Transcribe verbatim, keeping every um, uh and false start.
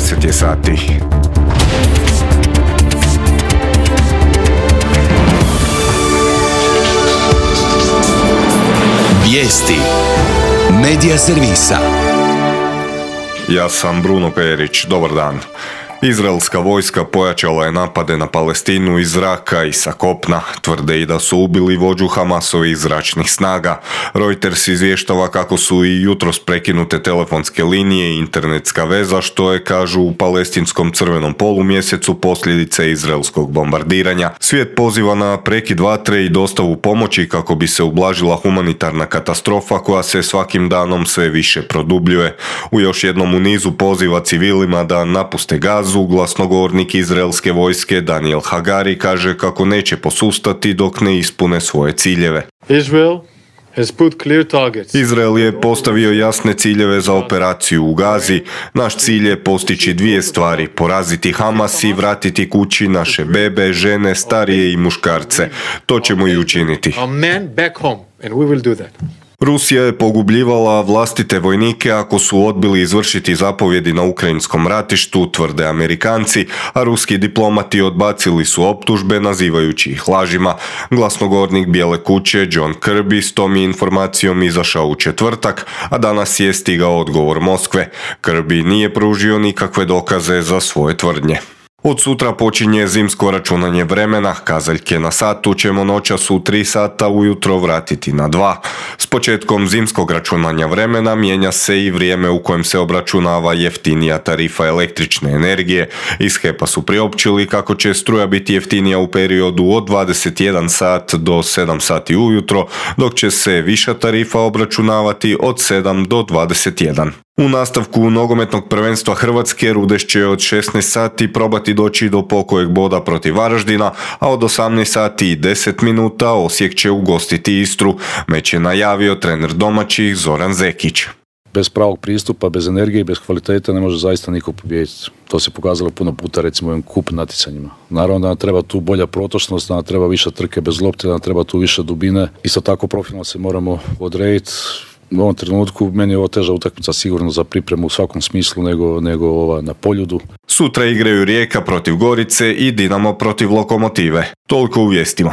deset je sati. Vijesti Medija servisa. Ja sam Bruno Perić, dobar dan. Izraelska vojska pojačala je napade na Palestinu iz zraka i sa kopna. Tvrde i da su ubili vođu Hamasovih zračnih snaga. Reuters izvještava kako su i jutros prekinute telefonske linije i internetska veza, što je, kažu, u palestinskom crvenom polumjesecu posljedice izraelskog bombardiranja. Svijet poziva na prekid vatre i dostavu pomoći kako bi se ublažila humanitarna katastrofa koja se svakim danom sve više produbljuje. U još jednom u nizu poziva civilima da napuste Gazu. Glasnogovornik izraelske vojske Daniel Hagari kaže kako neće posustati dok ne ispune svoje ciljeve. Israel has put clear targets. Izrael je postavio jasne ciljeve za operaciju u Gazi. Naš cilj je postići dvije stvari: poraziti Hamas i vratiti kući naše bebe, žene, starije i muškarce. To ćemo i učiniti. Our men back home, and we will do that. Rusija je pogubljivala vlastite vojnike ako su odbili izvršiti zapovjedi na ukrajinskom ratištu, tvrde Amerikanci, a ruski diplomati odbacili su optužbe nazivajući ih lažima. Glasnogovornik Bijele kuće John Kirby s tom je informacijom izašao u četvrtak, a danas je stigao odgovor Moskve. Kirby nije pružio nikakve dokaze za svoje tvrdnje. Od sutra počinje zimsko računanje vremena, kazaljke na satu ćemo noćas u tri sata ujutro vratiti na dva. S početkom zimskog računanja vremena mijenja se i vrijeme u kojem se obračunava jeftinija tarifa električne energije. Iz H E P-a su priopćili kako će struja biti jeftinija u periodu od dvadeset jedan sat do sedam sati ujutro, dok će se viša tarifa obračunavati od sedam do dvadeset jedan. U nastavku nogometnog prvenstva Hrvatske Rudeš će od šesnaest sati probati doći do pokojeg boda protiv Varaždina, a od osamnaest sati i deset minuta Osijek će ugostiti Istru. Meč je najavio trener domaćih Zoran Zekić. Bez pravog pristupa, bez energije i bez kvalitete ne može zaista niko pobijediti. To se pokazalo puno puta, recimo u ovim kup natjecanjima. Naravno da nam treba tu bolja protočnost, da nam treba više trke bez lopte, da nam treba tu više dubine. Isto tako profilno se moramo odrediti. U ovom trenutku meni je ovo teža utakmica sigurno za pripremu u svakom smislu nego, nego ova na Poljudu. Sutra igraju Rijeka protiv Gorice i Dinamo protiv Lokomotive. Toliko u vijestima.